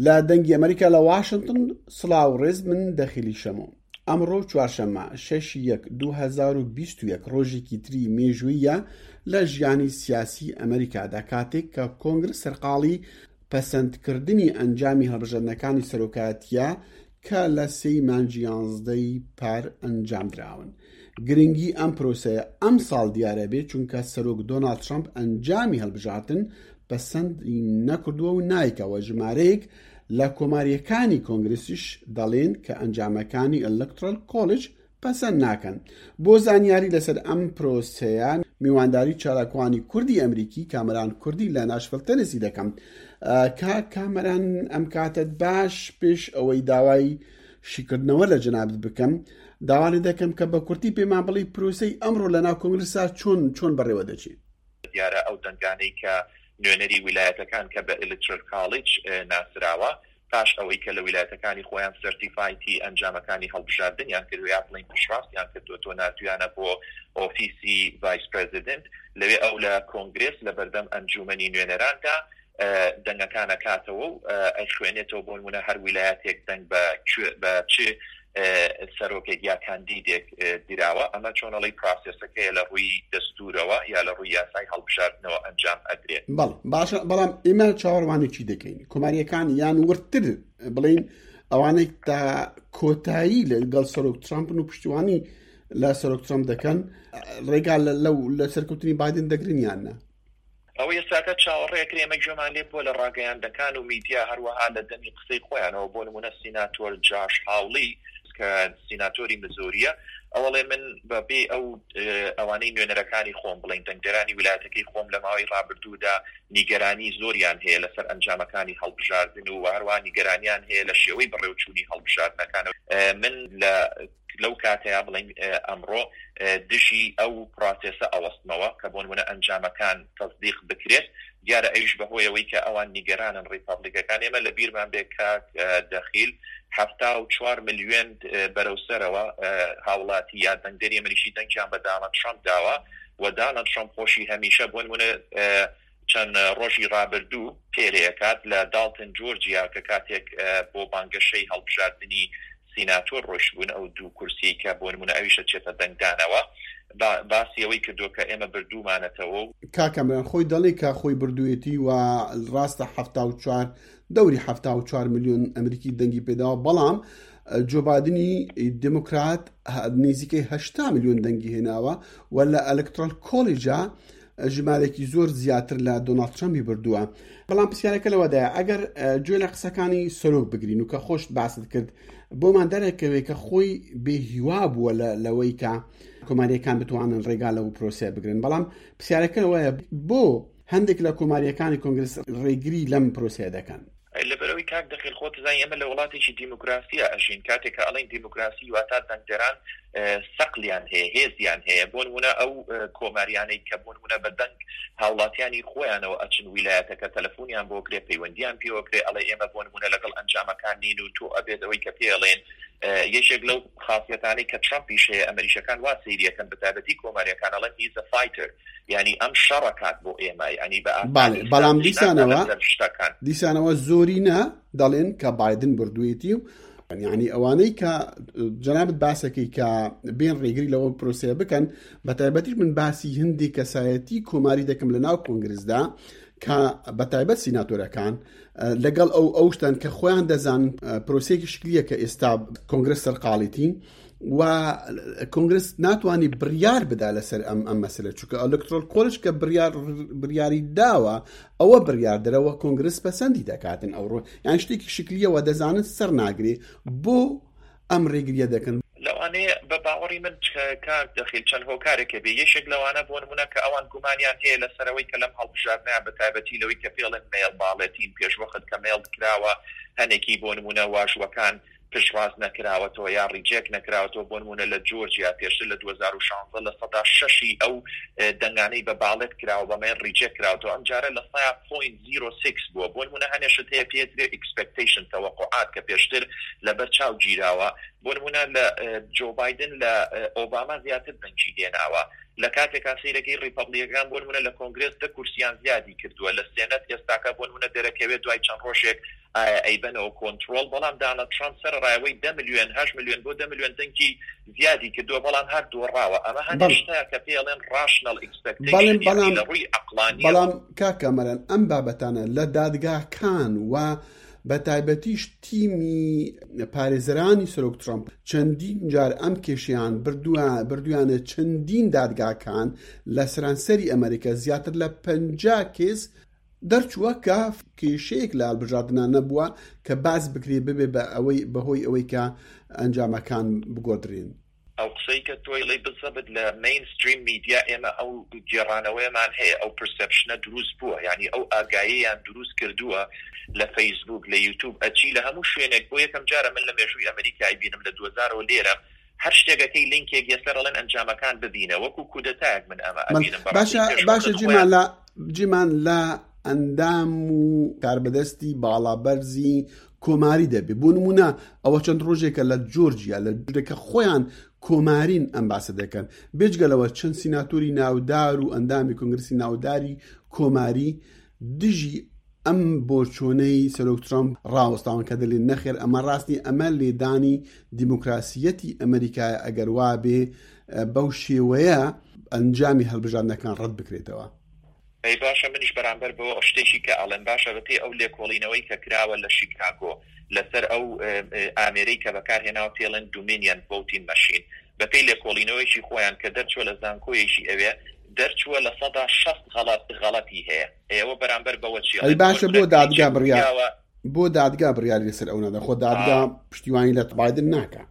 لە دەنگی ئەمریکا لە واشنتن سڵاو ڕێز من دەخیلی شەمۆ ئەمڕۆ چوارشەممە 6 یەک 2021 ڕۆژێکی تری مێژوویە لە ژیانی سیاسی ئەمریکادا کاتێک کە کۆنگرس سەرقاڵی پەسەندکردنی ئەنجامی هەڵبژاردنەکانی سەرۆکایەتیە کە لە سێی مانگی یانزدەی پار ئەنجامدراون. گرنگی ئەم پرۆسەیە ئەمساڵ دیارە بێت چونکە سەرۆک دۆناڵد ترەمپ ئەنجامی هەڵبژاردن پەسەندی نەکردووە و نایکەوە ژمارەیەک لە کۆمارییەکانی کۆنگرسیش دەڵێن کە ئەنجامەکانی Electoral College پەسەند ناکەن. بۆ زانیاری لەسەر ئەم پرۆسەیە میوانداری چالاکوانی کوردی ئەمریکی کامەران کوردی لە ناشڤڵ تەنسی دەکەم. کاک کامەران ئەم کاتەت باش پێش ئەوەی داوای شیکردنەوە لە جەنابت بکەم داوا لێ دەکەم کە بە کورتی پێمان بڵێی پرۆسەی ئەمڕۆ لە ناو کۆنگرسا چۆن چۆن بەڕێوە دەچێت؟ دیارە ئەو دەنگانەی کە نوێنەری ویلایەتەکان کە بە Electoral College ناسراوە پاش ئەوەی کە لە ویلایەتەکانی خۆیان certify ی ئەنجامەکانی هەڵبژاردنیان کردوە یا بڵێین پشتڕاستیان کردوەتەوە ناردویانە بۆ ئۆفیسی vice president لەوێ ئەو لە کۆنگرێس لە بەردەم ئەنجومەنی نوێنەراندا دەنگەکان ئەکاتەوە و ئەیخوێنێتەوە بۆ نمونە هەر ویلایەتێک دەنگ بە بە چ سەرۆکێک یا کاندیدێک دراوە ئەمە چۆنەڵی process ەکەیە لە ڕووی دەستورەوە یا لە ڕووی یاسای هەڵبژاردنەوە ئەنجام ئەدرێت. بەڵێ باشە بەڵام ئێمە چاوەڕوانی چی دەکەین کۆماریەکان یان وردتر بڵین ئەوانەی تا کۆتایی لەگەڵ سەرۆک ترامپن و پشتیوانی لە سەرۆک ترامپ دەکەن ڕێگا لەو لە سەرکەوتنی بادن دەگرن یان نا؟ ئەوەی ئێستاکە چاوەڕێ ئەکرێ ئێمە گوێمان لێ بووە لە ڕاگەیاندەکان و میدیا هەروەها لە دەمی قسەی خۆیانەوە بۆ نموونە سیناتۆر جاش هاوڵی کە سیناتۆری مزۆریە ئەو ئەڵێ من بە بێ ئەو ئەوانەی نوێنەرەکانی خۆم بڵێین دەنگدەرانی ویلایەتەکەی خۆم لە ماوەی ڕابردوودا نیگەرانی زۆریان هەیە لەسەر ئەنجامەکانی هەڵبژاردن و هەروەها نیگەرانیان هەیە لە شێوەی بەڕێوچوونی هەڵبژاردنەکان من لە لەو کاتەیا بڵێین ئەمڕۆ دژی ئەو پراسێسە ئەوەستمەوە کە بۆنمونە ئەنجامەکان تەسدیق بکرێت، دیارە ئەویش بەهۆی ئەوەی کە ئەوان نیگەرانن ڕیپەبڵیکەکان، ئێمە لە بیرمان بێ کاک دەخیل 74 ملیۆن بەرەو سەرەوە هاوڵاتی یا دەنگدەری ئەمریکی دەنگیان بە دانڵد ترەمپ داوە و دانڵد ترەمپ خۆشی هەمیشە بۆنمونە چەند ڕۆژی ڕابردوو پێرێکات لە داڵتن جۆرجیا کە کاتێک بۆ بانگەشەی هەڵبژاردنی سیناتۆر ڕۆیشتبوون ئەو دوو کورسیەی کە بۆ نموونە ئەویش ئەچێتە دەنگدانەوە باسی ئەوەی کردووە کە ئێمە بردوومانەتەوە و. کاک کامەران خۆی دەڵێ کە خۆی بردوویەتی و ڕاستە 74 دەوری 74 ملیۆن ئەمریکی دەنگی پێداوە بەڵام جۆ بادنی دێموکرات نزیکەی 80 ملیۆن دەنگی هێناوە و لە Electoral College ا ژمارەیەکی زۆر زیاتر لە دۆناڵد ترەمپی بردووە بەڵام پرسیارەکە لەوەدایە ئەگەر گوێ لە قسەکانی سەرۆک بگرین و کە خۆشت باست کرد بۆمان دەرەکەوێت کە خۆی بێ هیوا بووە لەوەی کە کۆماریەکان بتوانن ڕێگا لەو پرۆسەیە بگرن بەڵام پرسیارەکە ئەوەیە بۆ هەندێک لە کۆماریەکانی کۆنگرس ڕێگری لەم پرۆسەیە دەکەن؟ لەبەرئەوەی کاک دەخیل خۆت دەزانی ئێمە لە وڵاتێکی دیموکراسیا ئەژین، کاتێک کە ئەڵێین دیموکراسی واتا دەنگدەران سەقلیان هەیە، هێزیان هەیە، بۆ نموونە ئەو کۆماریانەی کە بۆ نموونە بە دەنگ هاوڵاتیانی خۆیانەوە ئەچن ویلایەتەکە تەلەفونیان بۆ کرێ پەیوەندیان پێوە کرێ ئەڵێ ئێمە بۆ نموونە لەگەڵ ئەنجامەکان نین و تۆ ئەبێت ئەوەی کە پێ ئەڵێن یەکێک لەو خاسیەتانەی کە ترەمپیش هەیە ئەمریکیەکان وا سەیری ئەکەن بەتایبەتی کۆماریەکان ئەڵێن He's a fighter یانی ئەم شەڕەکات بۆ ئێمە یانی بە ئاسانی بەڵام دیسانەوە شتەکان دیسانەوە زۆرینە دەڵێن کە بایدن بردوویەتی و یعنی ئەوانەی کە جەنابت باسەکەی کە بێن ڕێگری لەوە پرۆسەیە بکەن بە تایبەتیش من باسی هەندێک کەسایەتی کۆماری دەکەم لە ناو کۆنگرسدا کە بە تایبەت سیناتۆرەکان لەگەڵ ئەو ئەو شتان کە خۆیان دەزان پرۆسەیەکی شکلیە کە ئێستا کۆنگرس سەرقاڵیتی و کۆنگرس ناتوانانی بڕیار بدا لەسەر ئەم ئەم مەسلە چونکە Electoral College کە بڕیار بڕیاری داوە ئەوە بڕیار دەرەوە کۆنگرس پەسەندی دەکاتن ئەوڕۆ یان شتێکی شکلیەوە دەزانن سەر ناگرێ بۆ ئەم ڕێگریە دەکەن. لەوانەیە بە باوەڕی من کاک دەخیل چەند هۆکارێک هەبێ یەکێک لەوانە بۆ نموونە کە ئەوان گومانیان هەیە لەسەر ئەوەی کە لەم هەڵبژاردنەیان بە تایبەتی لەوەی کە پێڵێن mail balloting پێشوەخت کە mail کراوە هەنێکی بۆ نموونە واژووەکان پشتڕاست نەکراوەتەوە یا reject نەکراوەتەوە بۆ نموونە لە جۆرجیا پێشتر لە 2016 لە سەدا شەشی ئەو دەنگانەی بە ballot کراوە بە mail reject کراوەتەوە ئەمجارە لە سەیا point zero six بووە بۆ نموونە هەنێ شت هەیە پێ ئەترێ expectation تەوەقوعات کە پێشتر لەبەر چاو گیراوە بۆ نموونە لە جۆ بایدن لە ئۆباما زیاتر دەنگی هێناوە. لە کاتێکا سەیرەکەی ڕیپەبڵیکەکان بۆ نمونە لە کۆنگرێس دە کورسیان زیادی کردووە لە سێنەت ئێستاکە بۆ نمونە دەرەکەوێت دوای چەند ڕۆژێک ئایا ئەیبەنەوە کۆنتڕۆڵ بەڵام دانڵد ترامپ سەرەڕای ئەوەی دە ملیۆن هەشت ملیۆن بۆ دە ملیۆن دەنگی زیادی کردووە بەڵام هەر دۆڕاوە ئەمە هەندێک بەڵێ شتە کە پێی ئەڵێن ڕاشنەڵ بەڵێم ئیکسپێکتەیشن یانی بەڵام لە ڕووی عەقڵانیەوە. بەڵام کاک کامەران ئەم بابەتانە لە دادگاکان و بە تایبەتیش تیمی پارێزەرانی سەرۆک ترامپ چەندین جار ئەم کێشەیان بردووە بردویانە چەندین دادگاکان لە سەرانسەری ئەمریکا زیاتر لە 50 کێس دەرچووە کە کێشەیەک لە هەڵبژاردنا نەبووە کە باس بکرێ ببێ بە ئەوەی بەهۆی ئەوەی کە ئەنجامەکان بگۆدرێن. ئەو قسەی کە تۆ ئەڵێی بزەبت لە مەین ستریم میدیا ئێمە ئەو گێڕانەوەیەمان هەیە ئەو پرسێپشنە دروست بووە یانی ئەو ئاگایەیان دروست کردووە لە فەیسبووک لە یوتوب ئەچی لە هەموو شوێنێک بۆ یەکەم جارە من لە مێژووی ئەمریکا ئەیبینم لە دووەزارەوە لێرەم هەر شتێک ئەکەی لینکێک یەسەر ئەڵێن ئەنجامەکان ببینە وەکو کودەتایەک من ئەمە ئەبینم بەڕاستی باشە پێش باشە وەخت جیمان خۆیان لە جیمان لە ئەندام و کاربەدەستی باڵابەرزی کۆماری دەبێ بۆ نمونە ئەوە چەند ڕۆژێکە لە جۆرجیا لە جورێکە خۆیان کۆمارین ئەم باسە دەکەن بێجگە لەوە چەند سیناتۆری ناودار و ئەندامی کۆنگرسی ناوداری کۆماری دژی ئەم بۆچۆنەی سەرۆک ترامپ ڕاوەستاون کە دەلێن نەخێر ئەمە ڕاست نیە ئەمە لێدانی دیموکراسیەتی ئەمریکایە ئەگەر وابێ بەو شێوەیە ئەنجامی هەڵبژاردنەکان ڕەت بکرێتەوە. ئەی باشە منیش بەرامبەر بەوە شتێکی کە ئەڵێم باشە بەپێی ئەو لێکۆڵینەوەی کە کراوە لە شیکاگۆ لەسەر ئەو ئامێرەی کە بەکار هێناوە پێڵێن دومینیەن ڤۆتین مەشین بەپێی لێکۆڵینەوەیەکی خۆیان کە دەرچوە لە زانکۆیەکی ئەوێ دەرچوە 60% غەڵەت غەڵەتی هەیە ئێوە بەرامبەر بەوە چی ئەی ئەڵێن بۆ باشە نمونە بۆ دادگا کلیچێک بڕیار وتراوە بۆ دادگا بڕیاری لەسەر ئەو نادا خۆ دادگا پشتیوانی لە بایدن ناکا.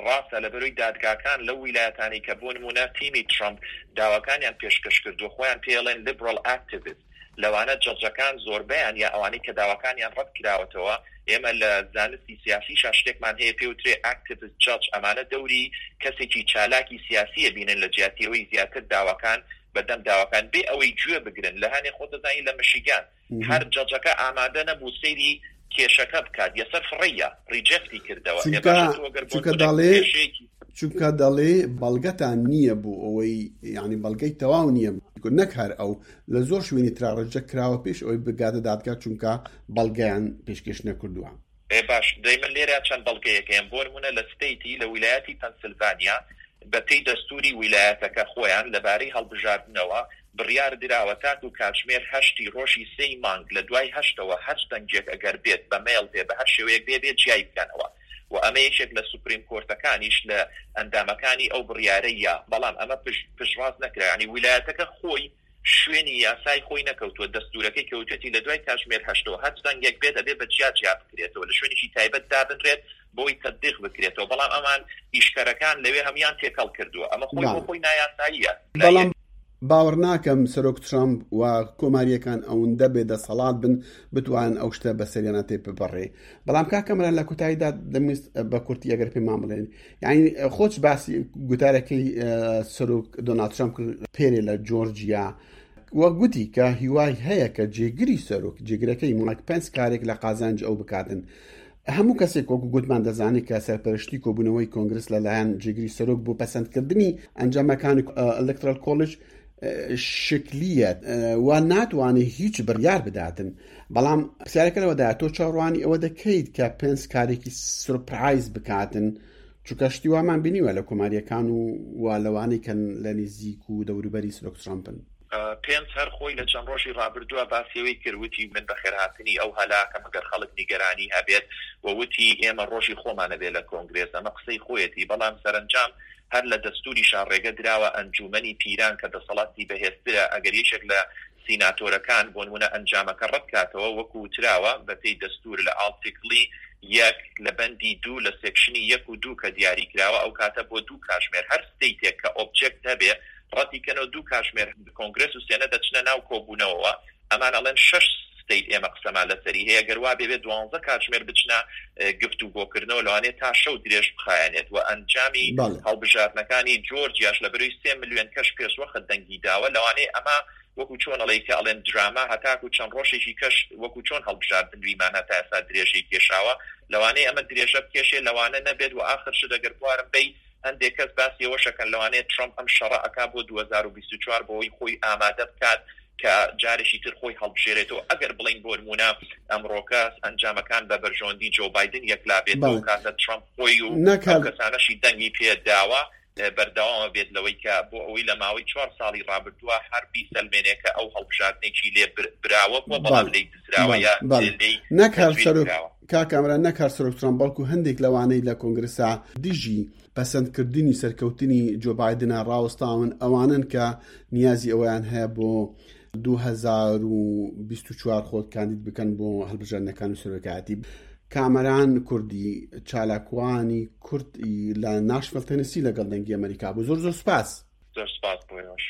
ڕاستە لەبەرەی دادگاکان لەو ویلایەتانەی کە بۆ نموونە تیمی ترەمپ داواکانیان پێشکەش کردووە خۆیان پێی ئەڵێن Liberal Activist لەوانە جەجەکان زۆربەیان یا ئەوانەی کە داواکانیان ڕەت کراوەتەوە ئێمە لە زانستی سیاسیشا شتێکمان هەیە پێی وترێ Activist Judge ئەمانە دەوری کەسێکی چالاکی سیاسی ئەبینن لە جیاتی ئەوەی زیاتر داواکان بە دەم داواکان بێ ئەوەی گوێ بگرن لە هەنێ خۆت دەزانی لە مشیگان هەر judge ەکە ئامادە نەبوو سەیری کێشەکە بکات یەسەر فڕێیا reject ی کردەوە ئێ چونکە باشە تۆ گەر بۆ چونکە نمونە دەڵێ کێشەیەکی چونکە دەڵێ بەڵگەتان نییە بۆ ئەوەی یعنی بەڵگەی تەواو نییە نەک هەر ئەو لە زۆر شوێنی ترا reject کراوە پێش ئەوەی بگاتە دادگا چونکە بەڵگەیان پێشکێش نەکردووە. ئێ باش دەی من لێرە چەند بەڵگەیەک هەیەم بۆ نمونە لە state ی لە ویلایەتی پەنسلڤانیا بە پێی دەستوری ویلایەتەکە خۆیان لەبارەی هەڵبژاردنەوە بڕیار دراوە تاکو کاتژمێر هەشتی ڕۆژی سێی مانگ لە دوای هەشتەوە هەرچ دەنگێک ئەگەر بێت بە mail بێ بە هەر شێوەیەک بێ بێ جیای بکەنەوە و ئەمە یەکێک لە Supreme Court ەکانیش لە ئەندامەکانی ئەو بڕیارەی یا بەڵام ئەمە پشتڕاست نەکرا یانی ویلایەتەکە خۆی شوێنی یاسای خۆی نەکەوتووە، دەستوورەکەی کەوتوێتی لە دوای کاتژمێر هەشتەوە هەرچ دەنگێک بێت ئەبێ بە جیا جیا بکرێتەوە لە شوێنێکی تایبەت دابنرێت بۆی تەدقیق بکرێتەوە، بەڵام ئەمان ئیشکەرەکان لەوێ هەموویان تێکەڵ کردووە، ئەمە خۆی بۆ بەڵێ. خۆی نایاساییە لە بەڵام یەک. باوەڕناکەم سەرۆک ترامپ و کۆمارییەکان ئەوندە بێ دەسەڵات بن بتوانن ئەو شتە بەسەریانا تێپبپەڕێ. بەڵام کاک کامەران لە کۆتاییدا دەمویست بە کورتی ئەگەر پێمان بڵێن یعنی خۆت باسی گوتارەکەی سەرۆک دۆناڵد ترامپ کرد پێرێ لە جۆرجیا وە گوتی کە هیوای هەیە کە جێگری سەرۆک جێگرەکەی مایک پێنس کارێک لە قازانج ئەو بکاتن هەموو کەسێک وەکو گوتمان دەزانێت کە سەرپەرشتی کۆبوونەوەی کۆنگرس لەلایەن جێگری سەرۆک بۆ پەسەندکردنی ئەنجامەکانی Electoral College شکلیە و ناتوانێت هیچ بڕیار بداتن بەڵام پرسیارەکە لەوەدایە تۆ چاوەڕوانی ئەوە دەکەیت کە پێنس کارێکی surprise بکاتن چونکە شتی وامان بینیوە لە کۆماریەکان و و لەوانەی کە لە نزیک و دەوروبەری سەرۆک ترامپن. پێنس هەر خۆی لە چەند ڕۆژی ڕابردووە باسی ئەوەی کرد وتی من بەخێرهاتنی ئەو هەلاکەم ئەگەر خەڵک نیگەرانی هەبێت و وتی ئێمە ڕۆژی خۆمان ئەبێت لە کۆنگرێس ئەمە قسەی خۆیەتی بەڵام سەرەنجام هەر لە دەستوریشا ڕێگە دراوە ئەنجوومەنی پیران کە دەسەڵاتی بەهێزترە ئەگەر یەکێک لە سیناتۆرەکان بۆنمونە ئەنجامەکە ڕەتکاتەوە وەکو وتراوە بەپێی دەستور لە article ی یەک لە بەندی دوو لە section ی یەک و دوو کە دیاری کراوە ئەوکاتە بۆ دوو کاژمێر هەر state ێک کە object هەبێ ڕەتی کەنەوە دوو کاژمێر کۆنگرێس و سێنە دەچنە ناو کۆبوونەوەوە ئەمان ئەڵێن شەش state ئێمە قسەمان لەسەری هەیە گەر وابێ بێ دوانزە کاتژمێر بچنە گفتوگۆکردنەوە لەوانەیە تا شەو درێژ بخایەنێت و ئەنجامی بەڵێ. هەڵبژاردنەکانی جۆرجیاش لەبەرەی سێ ملیۆن کەش پێشوەخت دەنگی داوە لەوانەیە ئەمە وەکو چۆن ئەڵێی کە ئەڵێن دراما هەتاکو چەند ڕۆژێکی کەش وەکو چۆن هەڵبژاردن ویمان هەتا ئێستا درێژەی کێشاوە لەوانەیە ئەمە درێژە بکێشێ لەوانە نەبێت و ئاخر شت ئەگەر بوارم بەی. هەندێک کەس باسی ئەوەش ئەکەن لەوانەیە ترەمپ ئەم شەڕە ئەکا بۆ 2024 بۆ ئەوەی خۆی ئامادە بکات کە جارێکی تر خۆی هەڵبژێرێتەوە، ئەگەر بڵێین بۆ نموونە ئەمڕۆکە ئەنجامەکان بە بەرژەوەندی جۆ بایدن یەکلا بێتەوە، کاتە ترەمپ خۆی و ئەو کەسانەشی دەنگی پێ داوە بەردەوامە بێت لەوەی کە بۆ ئەوەی لە ماوەی چوار ساڵی ڕابردووە هەر بیسەلمێنێ کە ئەو هەڵبژاردنێکی لێ براوە بووە بەڵام لێی دزراوە یا لێی نەک هەر سەرۆک کاک کامەران نەک هەر سەرۆک ترەمپ بەڵکو هەندێک لەوانەی لە کۆنگرسا دژی پەسەندکردنی سەرکەوتنی جۆ بایدنە ڕاوەستاون ئەوانن کە نیازی ئەوەیان هەیە بۆ 2024 خۆت کاندید بکەن بۆ هەڵبژاردنەکان و سەرۆکایەتی کامەران کوردی چالاکوانی کورد لە ناشڤڵ تەنسی لەگەڵ دەنگی ئەمریکا بوو زۆر زۆر سپاس زۆر سپاس بۆ ئێوەش.